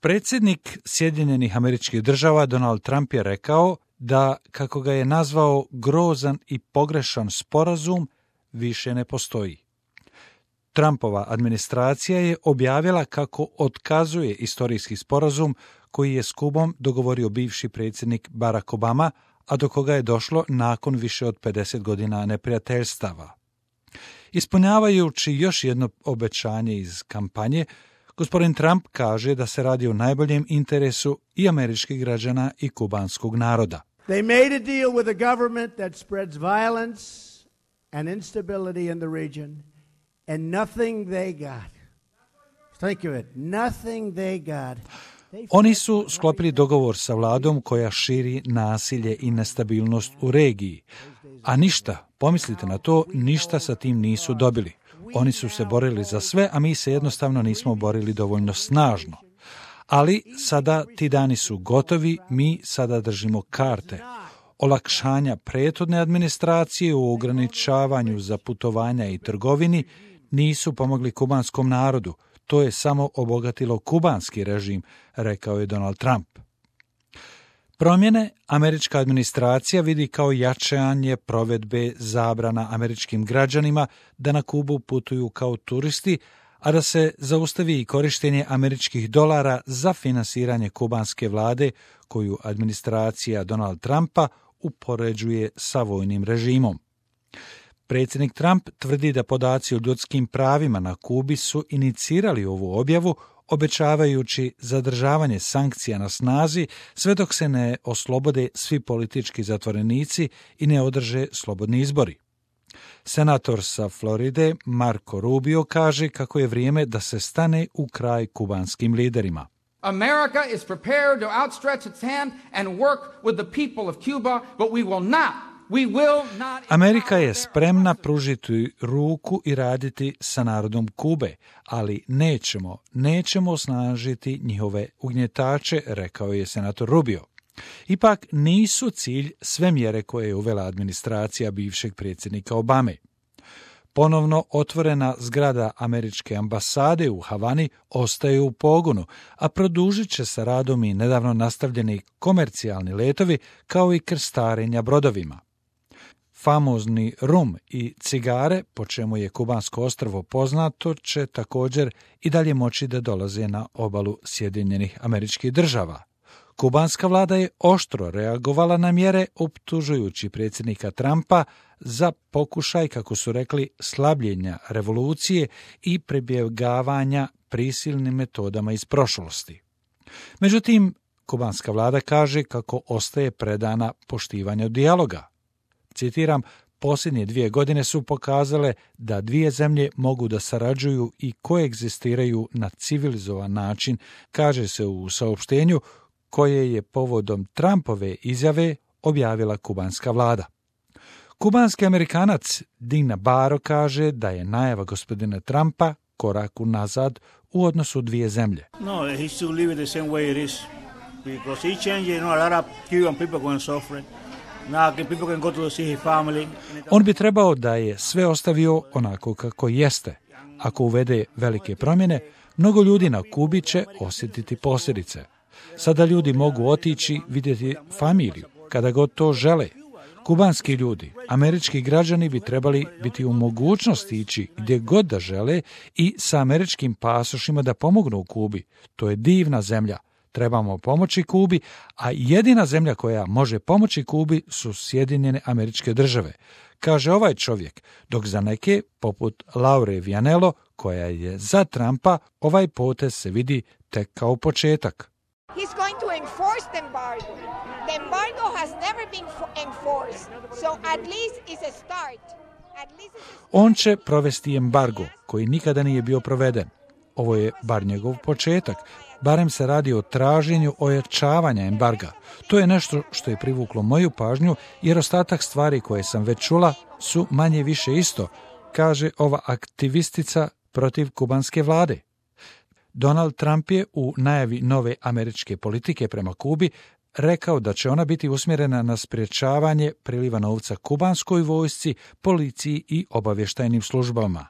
Predsjednik Sjedinjenih Američkih Država Donald Trump je rekao da, kako ga je nazvao, grozan i pogrešan sporazum više ne postoji. Trumpova administracija je objavila kako otkazuje istorijski sporazum koji je s Kubom dogovorio bivši predsjednik Barack Obama, a do koga je došlo nakon više od 50 godina neprijateljstava. Ispunjavajući još jedno obećanje iz kampanje, gospodin Trump kaže da se radi o najboljem interesu i američkih građana i kubanskog naroda. They made a deal with a government that spreads violence and instability in the region, and nothing they got. Think of it, nothing they got. Oni su sklopili dogovor sa vladom koja širi nasilje i nestabilnost u regiji, a ništa, pomislite na to, ništa sa tim nisu dobili. Oni su se borili za sve, a mi se jednostavno nismo borili dovoljno snažno. Ali sada ti dani su gotovi, mi sada držimo karte. Olakšanja prethodne administracije u ograničavanju za putovanja i trgovini nisu pomogli kubanskom narodu. To je samo obogatilo kubanski režim, rekao je Donald Trump. Promjene američka administracija vidi kao jačanje provedbe zabrana američkim građanima da na Kubu putuju kao turisti, a da se zaustavi i korištenje američkih dolara za finansiranje kubanske vlade, koju administracija Donald Trumpa upoređuje sa vojnim režimom. Predsjednik Trump tvrdi da podaci o ljudskim pravima na Kubi su inicirali ovu objavu, obećavajući zadržavanje sankcija na snazi sve dok se ne oslobode svi politički zatvorenici i ne održe slobodni izbori. Senator sa Floride Marco Rubio kaže kako je vrijeme da se stane u kraj kubanskim liderima. America is prepared to outstretch its hand and work with the people of Cuba, but we will not. Amerika je spremna pružiti ruku i raditi sa narodom Kube, ali nećemo osnažiti njihove ugnjetače, rekao je senator Rubio. Ipak nisu cilj sve mjere koje je uvela administracija bivšeg predsjednika Obame. Ponovno otvorena zgrada američke ambasade u Havani ostaje u pogonu, a produžit će se radom i nedavno nastavljeni komercijalni letovi kao i krstarenja brodovima. Famozni rum i cigare, po čemu je kubansko ostrvo poznato, će također i dalje moći da dolaze na obalu Sjedinjenih Američkih Država. Kubanska vlada je oštro reagovala na mjere, optužujući predsjednika Trumpa za pokušaj, kako su rekli, slabljenja revolucije i pribjegavanja prisilnim metodama iz prošlosti. Međutim, kubanska vlada kaže kako ostaje predana poštivanju dijaloga. Citiram, posljednje 2 godine su pokazale da 2 zemlje mogu da sarađuju i koegzistiraju na civilizovan način, kaže se u saopštenju koje je povodom Trumpove izjave objavila kubanska vlada. Kubanski Amerikanac Dean Nabarro kaže da je najava gospodina Trumpa korak unazad u odnosu 2 zemlje. No, he should leave it the same way it is. Because he changed, a lot of Cuban people going to suffer. On bi trebao da je sve ostavio onako kako jeste. Ako uvede velike promjene, mnogo ljudi na Kubi će osjetiti posljedice. Sada ljudi mogu otići vidjeti familiju, kada god to žele. Kubanski ljudi, američki građani bi trebali biti u mogućnosti ići gdje god da žele i sa američkim pasošima da pomognu u Kubi. To je divna zemlja. Trebamo pomoći Kubi, a jedina zemlja koja može pomoći Kubi su Sjedinjene Američke Države, kaže ovaj čovjek, dok za neke, poput Laure Vianello, koja je za Trumpa, ovaj potez se vidi tek kao početak. He's going to enforce the embargo. The embargo has never been enforced, so at least it's a start. On će provesti embargo, koji nikada nije bio proveden. Ovo je bar njegov početak. Barem se radi o traženju ojačavanja embarga. To je nešto što je privuklo moju pažnju, jer ostatak stvari koje sam već čula su manje više isto, kaže ova aktivistica protiv kubanske vlade. Donald Trump je u najavi nove američke politike prema Kubi rekao da će ona biti usmjerena na sprječavanje priliva novca kubanskoj vojsci, policiji i obavještajnim službama.